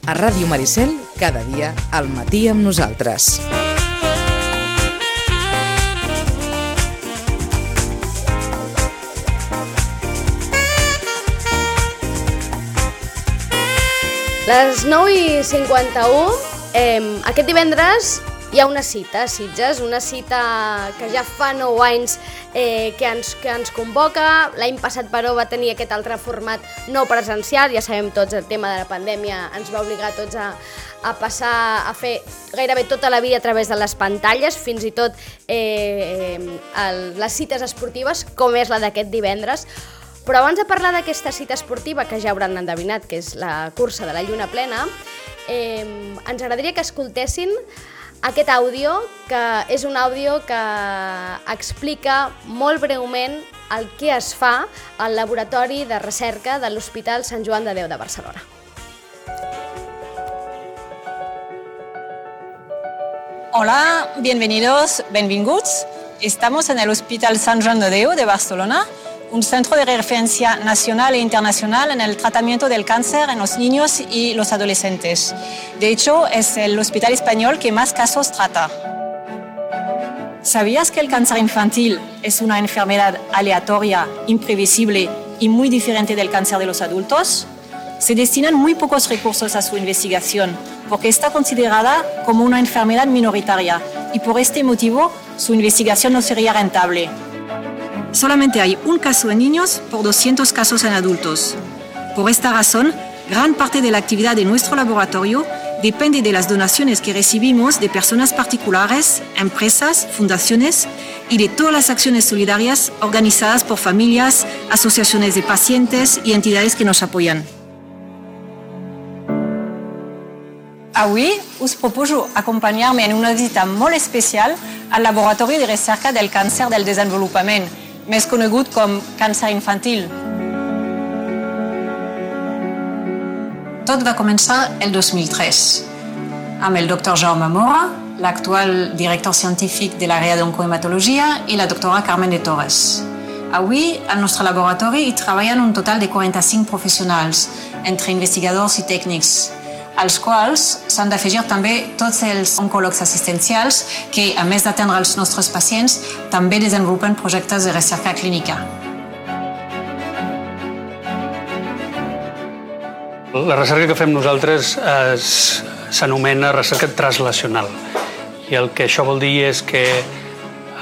A Ràdio Maricel, cada dia al matí amb nosaltres. Les 9:51, aquest divendres hi ha una cita a Sitges, una cita que ja fa 9 anys que ens convoca. L'any passat, però, va tenir aquest altre format no presencial. Ja sabem tots, el tema de la pandèmia ens va obligar a tots a passar a fer gairebé tota la vida a través de les pantalles, fins i tot les cites esportives, com és la d'aquest divendres. Però abans de parlar d'aquesta cita esportiva, que ja hauran endevinat que és la cursa de la lluna plena, ens agradaria que escoltessin aquest àudio, que és un àudio que explica molt breument el que es fa al laboratori de recerca de l'Hospital Sant Joan de Déu de Barcelona. Hola, bienvenidos, benvinguts. Estamos en el Hospital Sant Joan de Déu de Barcelona, un centro de referencia nacional e internacional en el tratamiento del cáncer en los niños y los adolescentes. De hecho, es el hospital español que más casos trata. ¿Sabías que el cáncer infantil es una enfermedad aleatoria, imprevisible y muy diferente del cáncer de los adultos? Se destinan muy pocos recursos a su investigación porque está considerada como una enfermedad minoritaria y por este motivo su investigación no sería rentable. Solamente hay un caso en niños por 200 casos en adultos. Por esta razón, gran parte de la actividad de nuestro laboratorio depende de las donaciones que recibimos de personas particulares, empresas, fundaciones y de todas las acciones solidarias organizadas por familias, asociaciones de pacientes y entidades que nos apoyan. Avui us proposo acompanyar-me en una visita molt especial al Laboratori de Recerca del Càncer del Desenvolupament, més conegut com càncer infantil. Tot va començar el 2003, amb el doctor Jaume Mora, l'actual director científic de l'àrea d'oncohematologia, i la doctora Carmen de Torres. Avui, al nostre laboratori, hi treballen un total de 45 professionals, entre investigadors i tècnics, als quals s'han d'afegir també tots els oncòlegs assistencials que, a més d'atendre els nostres pacients, també desenvolupen projectes de recerca clínica. La recerca que fem nosaltres s'anomena recerca translacional. I el que això vol dir és que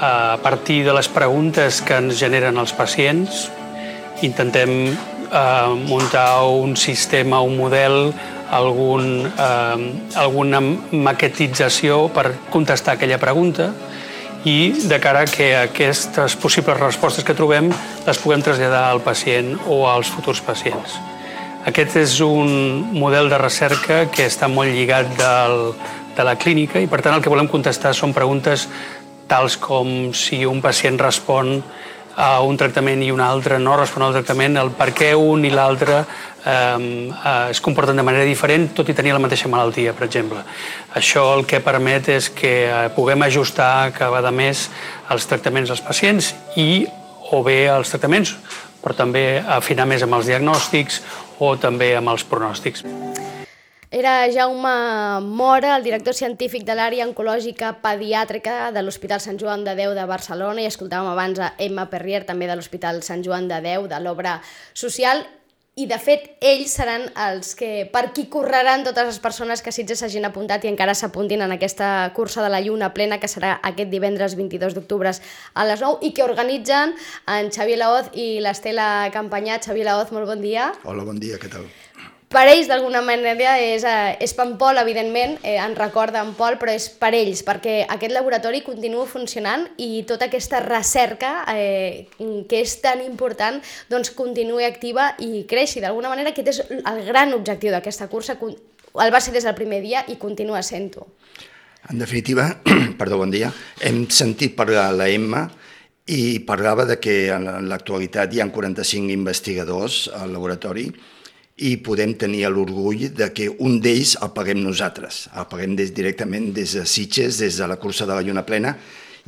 a partir de les preguntes que ens generen els pacients intentem muntar un sistema, un model, alguna maquetització per contestar aquella pregunta i de cara que aquestes possibles respostes que trobem les puguem traslladar al pacient o als futurs pacients. Aquest és un model de recerca que està molt lligat de la clínica i per tant el que volem contestar són preguntes tals com si un pacient respon a un tractament i un altre no respon al tractament, el per què un i l'altre es comporten de manera diferent tot i tenir la mateixa malaltia, per exemple. Això el que permet és que puguem ajustar cada vegada més els tractaments als pacients o bé els tractaments, però també afinar més amb els diagnòstics o també amb els pronòstics. Era Jaume Mora, el director científic de l'àrea oncològica pediàtrica de l'Hospital Sant Joan de Déu de Barcelona, i escoltàvem abans a Emma Perrier, també de l'Hospital Sant Joan de Déu, de l'Obra Social, i de fet ells seran els que, per qui correran totes les persones que Sitges s'hagin apuntat i encara s'apuntin en aquesta cursa de la lluna plena que serà aquest divendres 22 d'octubre a les 9 i que organitzen en Xavier Laoz i l'Estela Campanyà. Xavier Laoz, molt bon dia. Hola, bon dia, què tal? Per ells, d'alguna manera, és per en Pol, evidentment, en recorda en Pol, però és per ells, perquè aquest laboratori continua funcionant i tota aquesta recerca, que és tan important, doncs continuï activa i creixi. D'alguna manera, aquest és el gran objectiu d'aquesta cursa, el va ser des del primer dia i continua sent-ho. En definitiva, perdó, bon dia, hem sentit parlar la Emma i parlava de que en l'actualitat hi ha 45 investigadors al laboratori i podem tenir l'orgull de que un d'ells el paguem nosaltres. El paguem directament des de Sitges, des de la cursa de la lluna plena,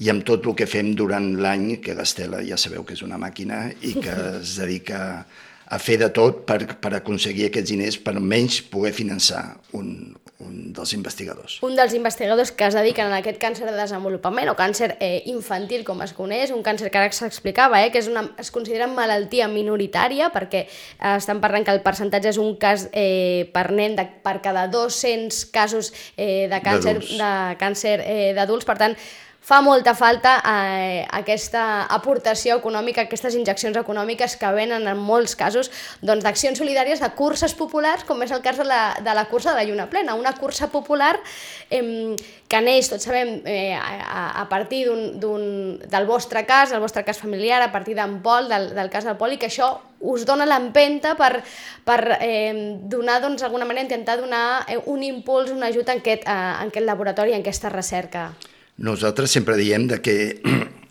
i amb tot el que fem durant l'any, que l'Estela ja sabeu que és una màquina i que es dedica a fer de tot per aconseguir aquests diners per almenys poder finançar un dels investigadors. Un dels investigadors que es dediquen a aquest càncer de desenvolupament o càncer infantil, com es coneix, un càncer que ara s'explicava, que es considera malaltia minoritària perquè estan parlant que el percentatge és un cas per nen per cada 200 casos de càncer d'adults. Per tant, fa molta falta aquesta aportació econòmica, aquestes injeccions econòmiques que venen en molts casos d'accions solidàries, de curses populars, com és el cas de la cursa de la Lluna Plena, una cursa popular que neix, tots sabem, a partir del vostre cas familiar, a partir d'en Pol, del cas del Pol, i que això us dona l'empenta per donar, d'alguna manera, intentar donar un impuls, un ajut en aquest laboratori, en aquesta recerca. Nosaltres sempre diem que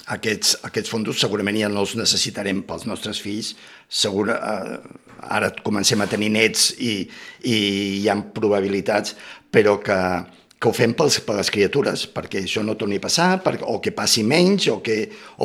aquests fons segurament ja no els necessitarem pels nostres fills. Ara comencem a tenir nets i hi ha probabilitats, però que ho fem per les criatures, perquè això no torni a passar, o que passi menys, o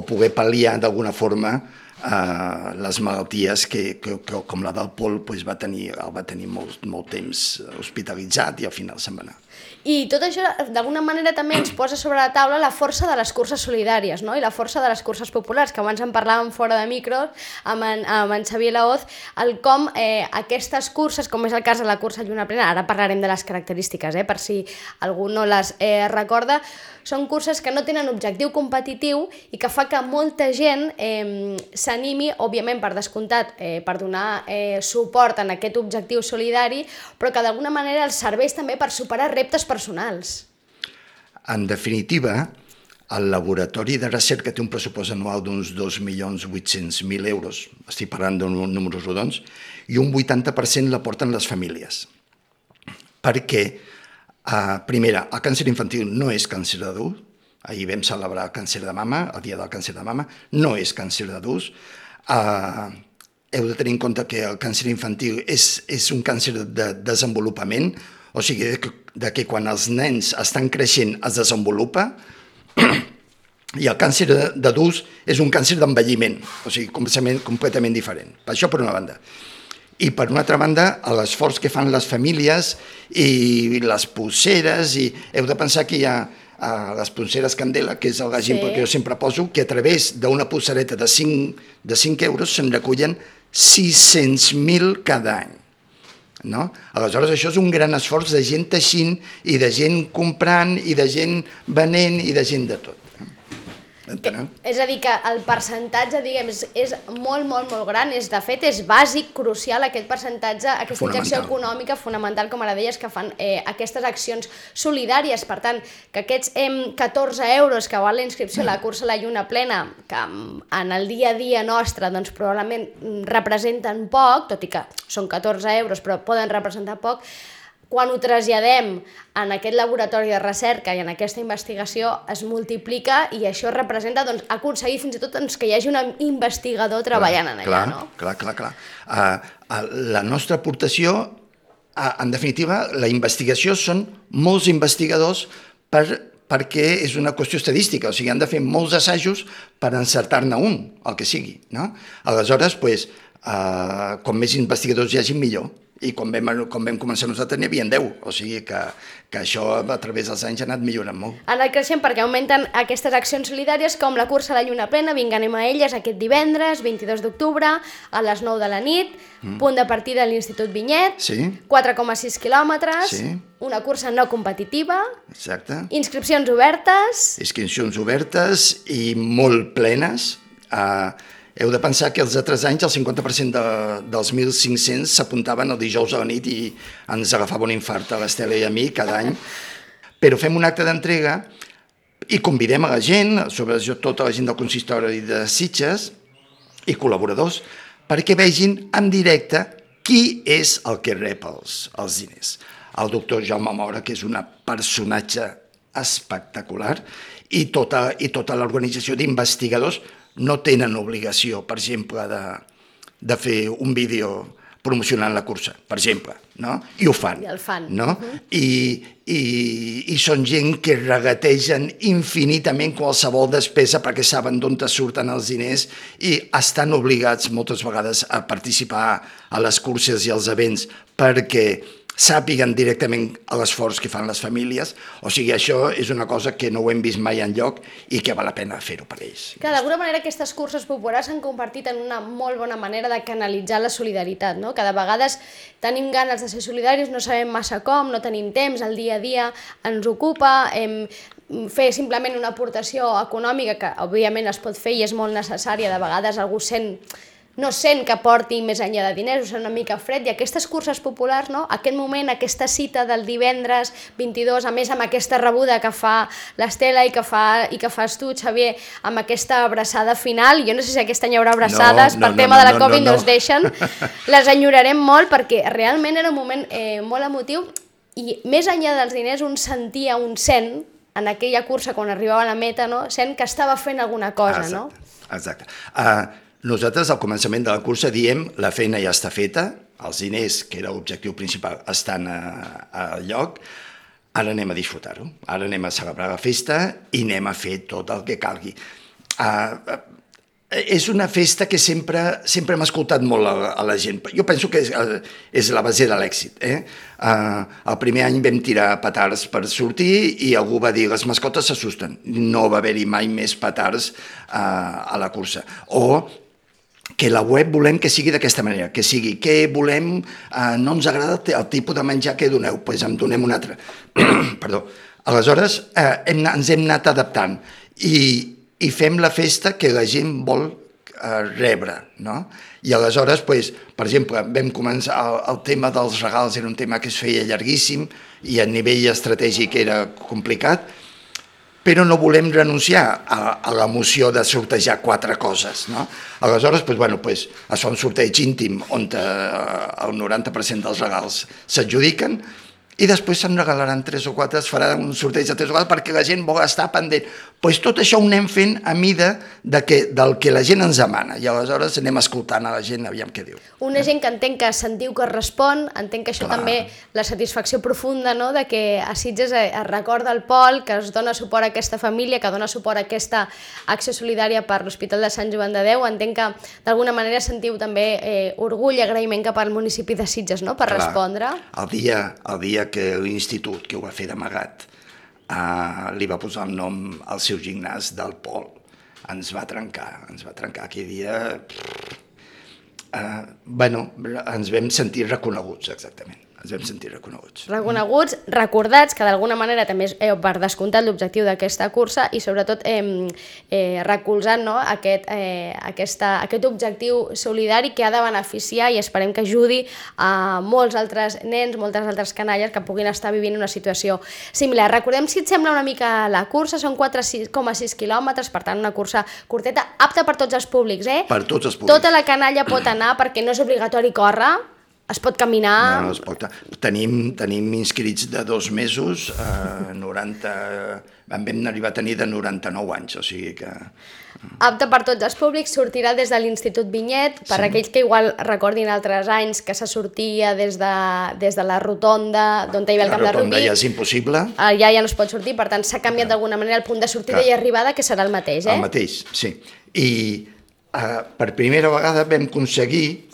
poder pal·liar d'alguna forma les malalties que com la del Pol va tenir molt temps hospitalitzat i al final se'n va anar. I tot això, d'alguna manera, també ens posa sobre la taula la força de les curses solidàries, no? I la força de les curses populars, que abans en parlàvem fora de micro amb en Xavier Laoz, com aquestes curses, com és el cas de la cursa Lluna Plena, ara parlarem de les característiques, per si algú no les recorda, són curses que no tenen objectiu competitiu i que fa que molta gent s'animi, òbviament per descomptat, per donar suport en aquest objectiu solidari, però que d'alguna manera els serveix també per superar reptes personals. En definitiva, el laboratori de recerca té un pressupost anual d'uns 2.800.000 euros, estic parlant de números rodons, i un 80% l'aporten les famílies. Perquè, primera, el càncer infantil no és càncer d'adult, ahir vam celebrar el càncer de mama, el dia del càncer de mama, no és càncer d'adults. Heu de tenir en compte que el càncer infantil és un càncer de desenvolupament, o sigui, que quan els nens estan creixent es desenvolupa, i el càncer d'adults és un càncer d'envelliment, o sigui, completament diferent. Això per una banda. I per una altra banda, l'esforç que fan les famílies i les polseres, i heu de pensar que hi ha les polseres Candela, que és l'exemple que jo sempre poso, que a través d'una polsereta de 5 euros se'n recullen 600.000 cada any. No? Aleshores, això és un gran esforç de gent teixint i de gent comprant i de gent venent i de gent de tot. És a dir, que el percentatge, diguem, és molt, molt, molt gran, de fet, és bàsic, crucial, aquest percentatge, aquesta injecció econòmica fonamental, com ara deies, que fan aquestes accions solidàries. Per tant, que aquests 14 euros que val la inscripció a la cursa La Lluna Plena, que en el dia a dia nostre probablement representen poc, tot i que són 14 euros, però poden representar poc, quan ho traslladem en aquest laboratori de recerca i en aquesta investigació es multiplica i això representa aconseguir fins i tot que hi hagi un investigador treballant en allà. Clar. La nostra aportació, en definitiva, la investigació són molts investigadors perquè és una qüestió estadística, o sigui, han de fer molts assajos per encertar-ne un, el que sigui. Aleshores, com més investigadors hi hagi, millor. I quan vam començar nosaltres n'hi havia 10, o sigui que això a través dels anys ha anat millorant molt. Ha anat creixent perquè augmenten aquestes accions solidàries com la cursa La Lluna Plena, anem a elles aquest divendres, 22 d'octubre, a les 9 de la nit, punt de partida a l'Institut Vinyet, 4,6 quilòmetres, una cursa no competitiva, inscripcions obertes... Inscripcions obertes i molt plenes. Heu de pensar que els altres anys el 50% dels 1.500 s'apuntaven el dijous a la nit i ens agafava un infart a l'Estela i a mi cada any. Però fem un acte d'entrega i convidem a la gent, sobretot tota la gent del consistori de Sitges i col·laboradors, perquè vegin en directe qui és el que rep els diners. El doctor Jaume Mora, que és un personatge espectacular, i tota l'organització d'investigadors no tenen obligació, per exemple, de fer un vídeo promocionant la cursa, per exemple, no? I ho fan. I el fan. No? I són gent que regategen infinitament qualsevol despesa perquè saben d'on surten els diners i estan obligats moltes vegades a participar a les curses i als events perquè sàpiguen directament l'esforç que fan les famílies. O sigui, això és una cosa que no ho hem vist mai enlloc i que val la pena fer-ho per ells. Que d'alguna manera aquestes curses populars s'han convertit en una molt bona manera de canalitzar la solidaritat, no? Que de vegades tenim ganes de ser solidaris, no sabem massa com, no tenim temps, el dia a dia ens ocupa, fer simplement una aportació econòmica que òbviament es pot fer i és molt necessària, de vegades algú no sent que porti més enllà de diners, ho sent una mica fred, i aquestes curses populars, no? Aquest moment, aquesta cita del divendres 22, a més amb aquesta rebuda que fa l'Estela i que fas tu, Xavier, amb aquesta abraçada final, jo no sé si aquest any hi haurà abraçades, per tema de la Covid no es deixen, les enyorarem molt perquè realment era un moment molt emotiu i més enllà dels diners un sentia, un sent, en aquella cursa quan arribava a la meta, no? Sent que estava fent alguna cosa, no? Exacte. Nosaltres, al començament de la cursa, diem la feina ja està feta, els diners, que era l'objectiu principal, estan al lloc, ara anem a disfrutar-ho, ara anem a celebrar la festa i anem a fer tot el que calgui. És una festa que sempre hem escoltat molt a la gent. Jo penso que és la base de l'èxit. El primer any vam tirar petards per sortir i algú va dir les mascotes s'assusten. No va haver-hi mai més petards a la cursa. O que la web volem que sigui d'aquesta manera, que sigui que volem, no ens agrada el tipus de menjar que doneu, doncs en donem un altre. Perdó. Aleshores, ens hem anat adaptant i fem la festa que la gent vol rebre, no? I aleshores, per exemple, vam començar el tema dels regals, era un tema que es feia llarguíssim i a nivell estratègic era complicat, però no volem renunciar a l'emoció de sortejar 4 coses, no? Aleshores, es fa un sorteig íntim on el 90% dels regals s'adjudiquen i després se'n regalaran 3 o 4, es farà un sorteig de 3 o 4 perquè la gent vol estar pendent. Tot això ho anem fent a mida del que la gent ens demana i aleshores anem escoltant a la gent, aviam què diu. Una gent que entenc que sentiu que respon, entenc que això també, la satisfacció profunda, no?, de que a Sitges es recorda el Pol, que es dona suport a aquesta família, que dona suport a aquesta acció solidària per l'Hospital de Sant Joan de Déu. Entenc que d'alguna manera sentiu també orgull i agraïment cap al municipi de Sitges, no?, per respondre. El dia que l'institut, que ho va fer d'amagat, li va posar el nom al seu gimnàs del Pol. Ens va trencar aquell dia. Ens vam sentir reconeguts, exactament. Ens vam sentir reconeguts. Reconeguts, recordats, que d'alguna manera també és per descomptat l'objectiu d'aquesta cursa i sobretot recolzant, no, aquest objectiu solidari que ha de beneficiar i esperem que ajudi a molts altres nens, moltes altres canalles que puguin estar vivint una situació similar. Recordem, si et sembla, una mica la cursa, són 4,6 quilòmetres, per tant una cursa curteta, apta per tots els públics, Per tots els públics. Tota la canalla pot anar perquè no és obligatori córrer, es pot caminar... No, es pot. Tenim inscrits de 2 mesos, 90... Vam arribar a tenir de 99 anys, o sigui que... Apte per tots els públics, sortirà des de l'Institut Vinyet, per aquells que igual recordin altres anys que se sortia des de la rotonda, d'on hi havia el camp de rugby. La rotonda ja és impossible. Ja no es pot sortir, per tant s'ha canviat d'alguna manera el punt de sortida i arribada, que serà el mateix, El mateix, sí. I per primera vegada vam aconseguir,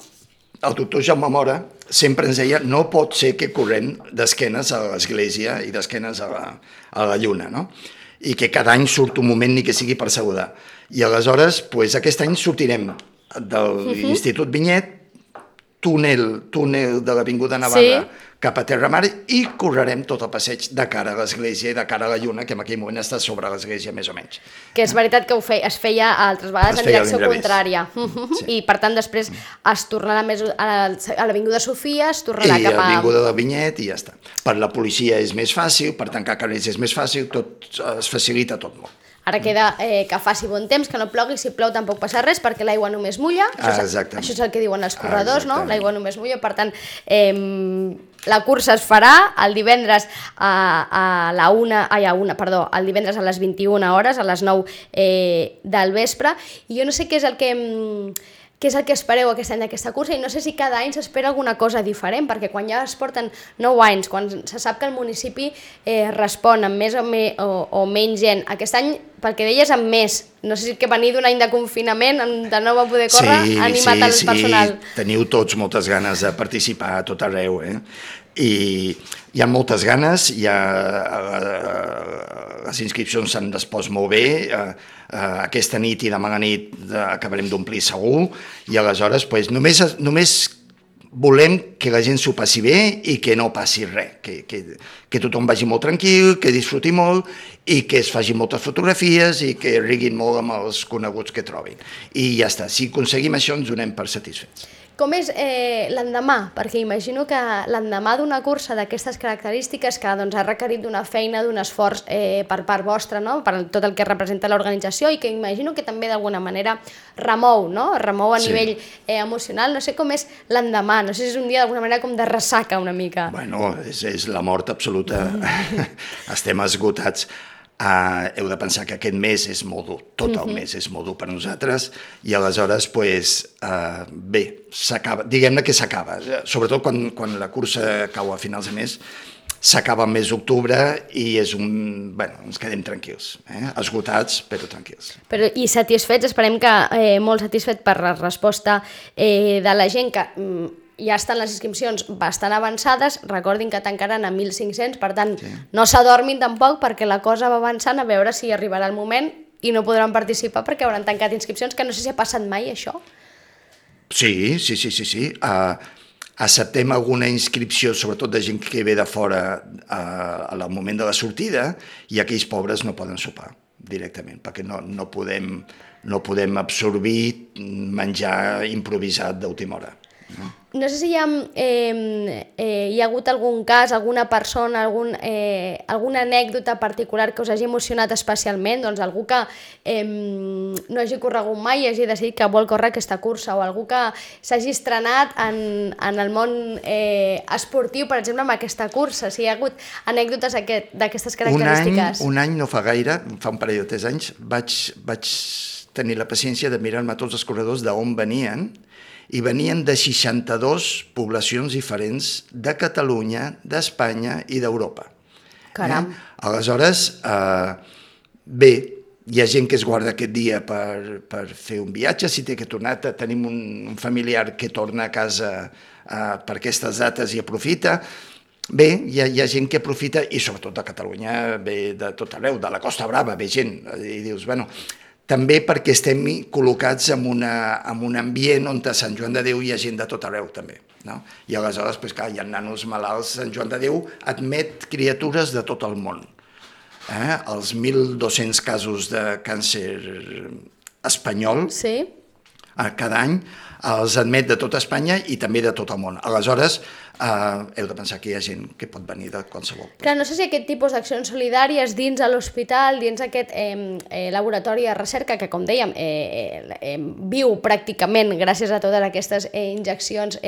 el doctor Jaume Mora sempre ens deia no pot ser que correm d'esquenes a l'església i d'esquenes a la lluna, no? I que cada any surt un moment ni que sigui per saludar. I aleshores, aquest any sortirem de l'Institut Vinyet, túnel de l'Avinguda Navarra cap a Terramar i correrem tot el passeig de cara a l'església i de cara a la lluna, que en aquell moment està sobre l'església més o menys. Que és veritat que es feia altres vegades en direcció contrària. I per tant després es tornarà més a l'Avinguda Sofia, es tornarà cap a... I a l'Avinguda del Vinyet i ja està. Per la policia és més fàcil, per tancar carrers és més fàcil, tot es facilita tot molt. Ara queda que faci bon temps, que no plogui, si plou tampoc passa res, perquè l'aigua només mulla. Això és el que diuen els corredors, no? L'aigua només mulla, per tant, la cursa es farà el divendres el divendres a les 21 hores, a les 9 del vespre, i jo no sé què és el que què és el que espereu aquest any d'aquesta cursa, i no sé si cada any s'espera alguna cosa diferent, perquè quan ja es porten 9 anys, quan se sap que el municipi respon amb més o menys gent, aquest any, pel que deies, amb més, no sé si que venir d'un any de confinament, de no va poder córrer, ha animat el personal. Sí, teniu tots moltes ganes de participar a tot arreu, i hi ha moltes ganes, les inscripcions s'han respost molt bé, aquesta nit i demà a la nit acabarem d'omplir segur, i aleshores només volem que la gent s'ho passi bé i que no passi res, que tothom vagi molt tranquil, que disfruti molt i que es facin moltes fotografies i que riguin molt amb els coneguts que trobin. I ja està, si aconseguim això ens donem per satisfets. Com és l'endemà? Perquè imagino que l'endemà d'una cursa d'aquestes característiques que ha requerit d'una feina, d'un esforç per part vostra, per tot el que representa l'organització, i que imagino que també d'alguna manera remou, remou a nivell emocional. No sé com és l'endemà, no sé si és un dia d'alguna manera com de ressaca una mica. Bueno, és la mort absoluta. Estem esgotats. Heu de pensar que aquest mes és molt dur, tot el mes és molt dur per nosaltres, i aleshores, bé, s'acaba, diguem-ne que s'acaba, sobretot quan la cursa cau a finals de mes, s'acaba el mes d'octubre i ens quedem tranquils, esgotats però tranquils. I satisfets, esperem que molt satisfet per la resposta de la gent, que ja estan les inscripcions bastant avançades, recordin que tancaran a 1.500, per tant, no s'adormin tampoc, perquè la cosa va avançant, a veure si arribarà el moment i no podran participar perquè hauran tancat inscripcions, que no sé si ha passat mai això. Sí. Acceptem alguna inscripció, sobretot de gent que ve de fora al moment de la sortida, i aquells pobres no poden sopar directament, perquè no podem absorbir menjar improvisat d'última hora. No sé si hi ha hagut algun cas, alguna persona, alguna anècdota particular que us hagi emocionat especialment, doncs algú que no hagi corregut mai i hagi decidit que vol córrer aquesta cursa, o algú que s'hagi estrenat en el món esportiu, per exemple, amb aquesta cursa, si hi ha hagut anècdotes d'aquestes característiques. Un any no fa gaire, fa un parell de 3 anys, vaig tenir la paciència de mirar-me tots els corredors d'on venien, i venien de 62 poblacions diferents de Catalunya, d'Espanya i d'Europa. Caram! Aleshores, bé, hi ha gent que es guarda aquest dia per fer un viatge, si té que tornar, tenim un familiar que torna a casa per aquestes dates i aprofita. Bé, hi ha gent que aprofita, i sobretot de Catalunya, ve de tot arreu, de la Costa Brava, ve gent, i dius, bueno, també perquè estem col·locats en un ambient on a Sant Joan de Déu hi ha gent de tot arreu, també. I aleshores, clar, hi ha nanos malalts. Sant Joan de Déu admet criatures de tot el món. Els 1.200 casos de càncer espanyol cada any els admet de tot Espanya i també de tot el món. Aleshores, heu de pensar que hi ha gent que pot venir de qualsevol. Clar, no sé si aquest tipus d'accions solidàries dins de l'hospital, dins aquest laboratori de recerca que, com dèiem, viu pràcticament gràcies a totes aquestes injeccions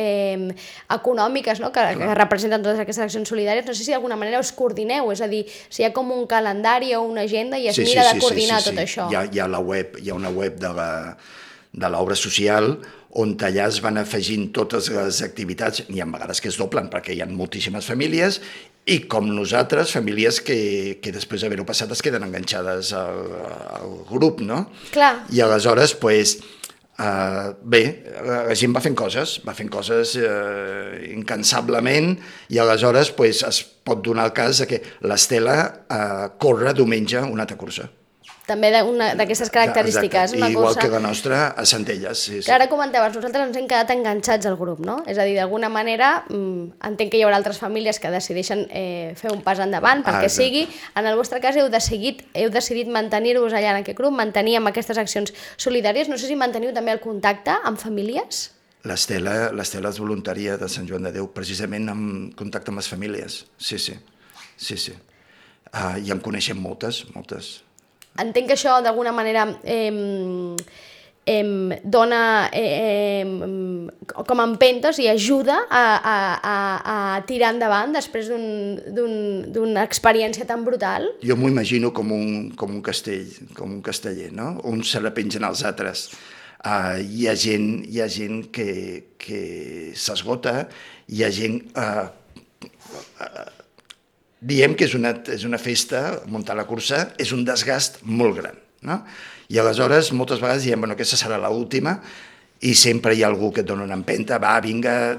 econòmiques que representen totes aquestes accions solidàries, no sé si d'alguna manera us coordineu, és a dir, si hi ha com un calendari o una agenda i es mira de coordinar tot això. Hi ha una web de l'obra social on allà es van afegint totes les activitats, i a vegades que es doblen perquè hi ha moltíssimes famílies, i com nosaltres, famílies que després d'haver-ho passat es queden enganxades al grup, no? Clar. I aleshores, bé, la gent va fent coses incansablement, i aleshores es pot donar el cas que l'Estela corre diumenge una altra cursa. També d'aquestes característiques. Igual que la nostra a Centelles. Ara comentaves, nosaltres ens hem quedat enganxats al grup, no? És a dir, d'alguna manera, entenc que hi haurà altres famílies que decideixen fer un pas endavant perquè sigui. En el vostre cas heu decidit mantenir-vos allà en aquest grup, mantenir amb aquestes accions solidàries. No sé si manteniu també el contacte amb famílies? L'Estela és voluntària de Sant Joan de Déu, precisament en contacte amb les famílies. Sí. I en coneixem moltes. Entenc que això d'alguna manera dona com empentes i ajuda a tirar endavant després d'una experiència tan brutal. Jo m'ho imagino com un castell, com un casteller, no? Uns se la pengen als altres. Hi ha gent que s'esgota, hi ha gent... Diem que és una festa, muntar la cursa, és un desgast molt gran, no? I aleshores, moltes vegades diem, bueno, aquesta serà l'última, i sempre hi ha algú que et dona una empenta, va, vinga,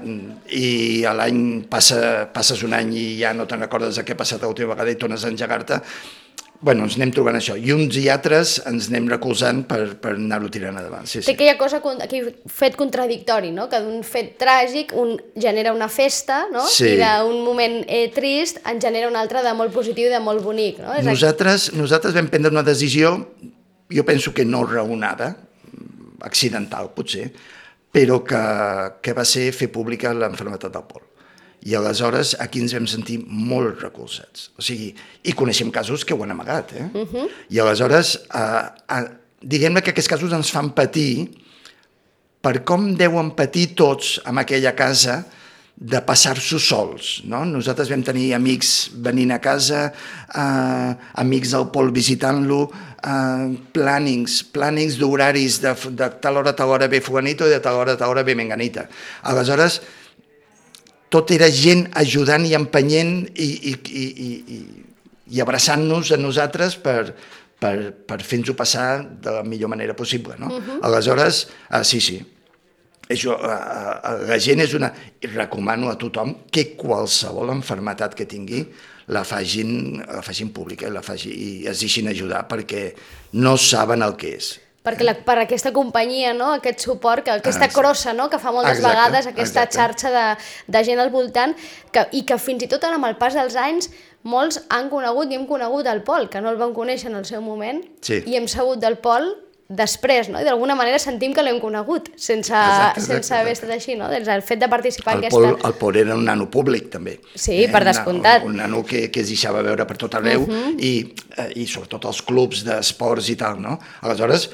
i a l'any passes un any i ja no te'n recordes de què ha passat l'última vegada i tornes a engegar-te. Bueno, ens anem trobant això, i uns i altres ens anem recolzant per anar-ho tirant endavant. Sí. Té aquella cosa, aquell fet contradictori, no? Que d'un fet tràgic un genera una festa, no? Sí. I d'un moment trist en genera un altre de molt positiu i de molt bonic, no? Nosaltres vam prendre una decisió, jo penso que no raonada, accidental potser, però que va ser fer pública l'enfermetat del Pol. I aleshores aquí ens vam sentir molt recolzats. O sigui, i coneixem casos que ho han amagat, I aleshores, diguem-ne que aquests casos ens fan patir per com deuen patir tots en aquella casa de passar-s'ho sols, no? Nosaltres vam tenir amics venint a casa, amics del Pol visitant-lo, plànings d'horaris de tal hora ve fulanito i de tal hora ve menganita. Aleshores, tot era gent ajudant i empenyent i abraçant-nos a nosaltres per fer-nos-ho passar de la millor manera possible, no? Aleshores, sí. Això, la gent és una... I recomano a tothom que qualsevol malaltia que tingui la facin pública i es deixin ajudar perquè no saben el que és. Perquè per aquesta companyia, no? Aquest suport, aquesta crossa, no? Que fa moltes vegades, aquesta xarxa de gent al voltant i que fins i tot amb el pas dels anys molts han conegut i hem conegut el Pol, que no el vam conèixer en el seu moment, i hem sabut del Pol després, no? I d'alguna manera sentim que l'hem conegut, sense haver estat així, no? Des del fet de participar en aquesta... El Pol era un nano públic, també. Sí, per descomptat. Un nano que es deixava veure per tot arreu i sobretot els clubs d'esports i tal, no? Aleshores,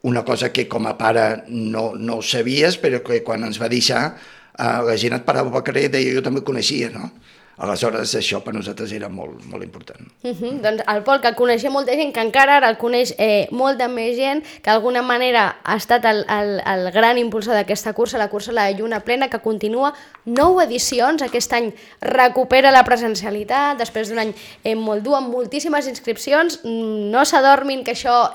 una cosa que com a pare no ho sabies, però que quan ens va deixar la gent et parava pel carrer i deia jo també el coneixia, no? Aleshores això per nosaltres era molt, molt important. Doncs el Pol, que coneixia molta gent, que encara ara el coneix molta més gent, que d'alguna manera ha estat el gran impulsor d'aquesta cursa, la cursa La Lluna Plena, que continua 9 edicions, aquest any recupera la presencialitat, després d'un any molt dur, amb moltíssimes inscripcions, no s'adormin que això...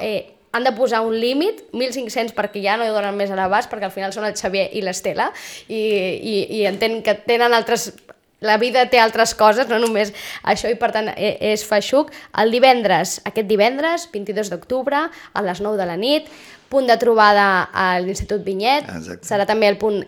han de posar un límit, 1.500 perquè ja no hi donen més a l'abast, perquè al final són el Xavier i l'Estela, i entenc que tenen altres... La vida té altres coses, no només això, i per tant és feixuc. Aquest divendres, 22 d'octubre, a les 9 de la nit, punt de trobada a l'Institut Vinyet. Exacte. Serà també el punt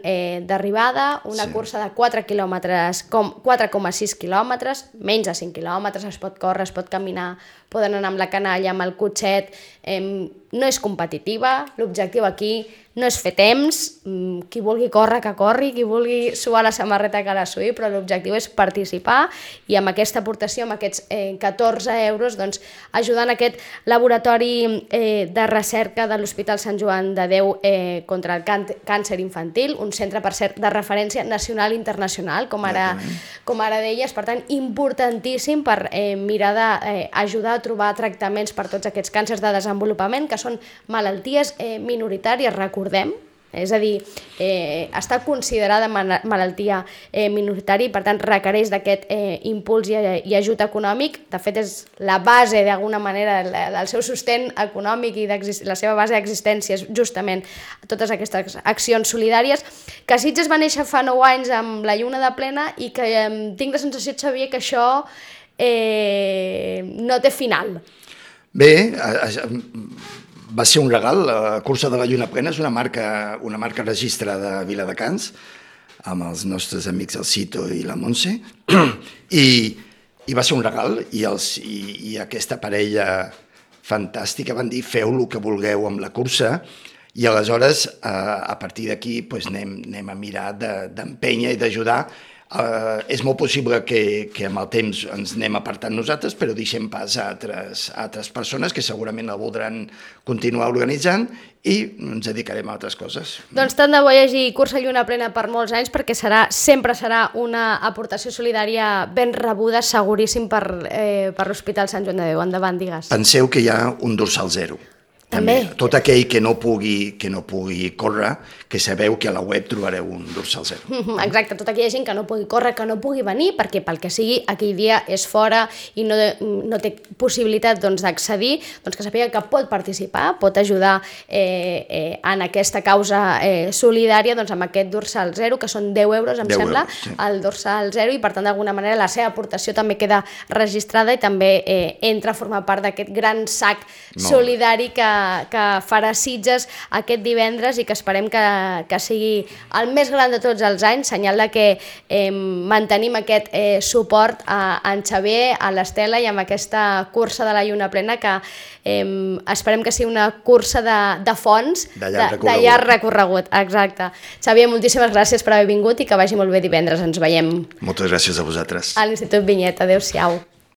d'arribada, una cursa de 4,6 quilòmetres, menys de 5 quilòmetres, es pot córrer, es pot caminar, poden anar amb la canalla, amb el cotxet, no és competitiva, l'objectiu aquí no és fer temps, qui vulgui córrer que corri, qui vulgui suar la samarreta que la suï, però l'objectiu és participar i amb aquesta aportació, amb aquests 14 euros, doncs, ajudant aquest laboratori de recerca de l'Hospital Sant Joan de Déu contra el càncer infantil, un centre, per cert, de referència nacional i internacional, com ara deies, per tant, importantíssim per mirar d'ajudar a trobar tractaments per tots aquests càncers de desenvolupament, que són malalties minoritàries, recordem, és a dir, està considerada malaltia minoritària i per tant requereix d'aquest impuls i ajut econòmic. De fet és la base d'alguna manera del seu sostén econòmic i la seva base d'existència és justament totes aquestes accions solidàries, que a Sitges va néixer fa 9 anys amb la Lluna de Plena i que tinc la sensació, Xavier, que això no té final. Bé, va ser un regal. La cursa de la Lluna Plena és una marca registrada a Viladecans, amb els nostres amics el Cito i la Montse, i va ser un regal, i aquesta parella fantàstica van dir feu el que vulgueu amb la cursa, i aleshores a partir d'aquí anem a mirar d'empènyer i d'ajudar. És molt possible que amb el temps ens anem apartant nosaltres, però deixem pas a altres persones que segurament la voldran continuar organitzant i ens dedicarem a altres coses. Doncs tant de bo hi hagi cursa Lluna Plena per molts anys, perquè sempre serà una aportació solidària ben rebuda, seguríssim, per l'Hospital Sant Joan de Déu. Endavant, digues. Penseu que hi ha un dorsal zero. També. Tot aquell que no pugui córrer, que sabeu que a la web trobareu un dorsal 0. Exacte, tota aquella gent que no pugui córrer, que no pugui venir, perquè pel que sigui aquell dia és fora i no té possibilitat d'accedir, que sàpiga que pot participar, pot ajudar en aquesta causa solidària amb aquest dorsal 0, que són 10 euros, em sembla, el dorsal 0, i per tant d'alguna manera la seva aportació també queda registrada i també entra a formar part d'aquest gran sac solidari que farà Sitges aquest divendres i que esperem que sigui el més gran de tots els anys, senyal de que mantenim aquest suport a en Xavier, a l'Estela i amb aquesta cursa de la lluna plena que esperem que sigui una cursa de fons, de llarg recorregut. Exacte. Xavier, moltíssimes gràcies per haver vingut i que vagi molt bé divendres. Ens veiem. Moltes gràcies a vosaltres. A l'Institut Vinyet. Adéu-siau.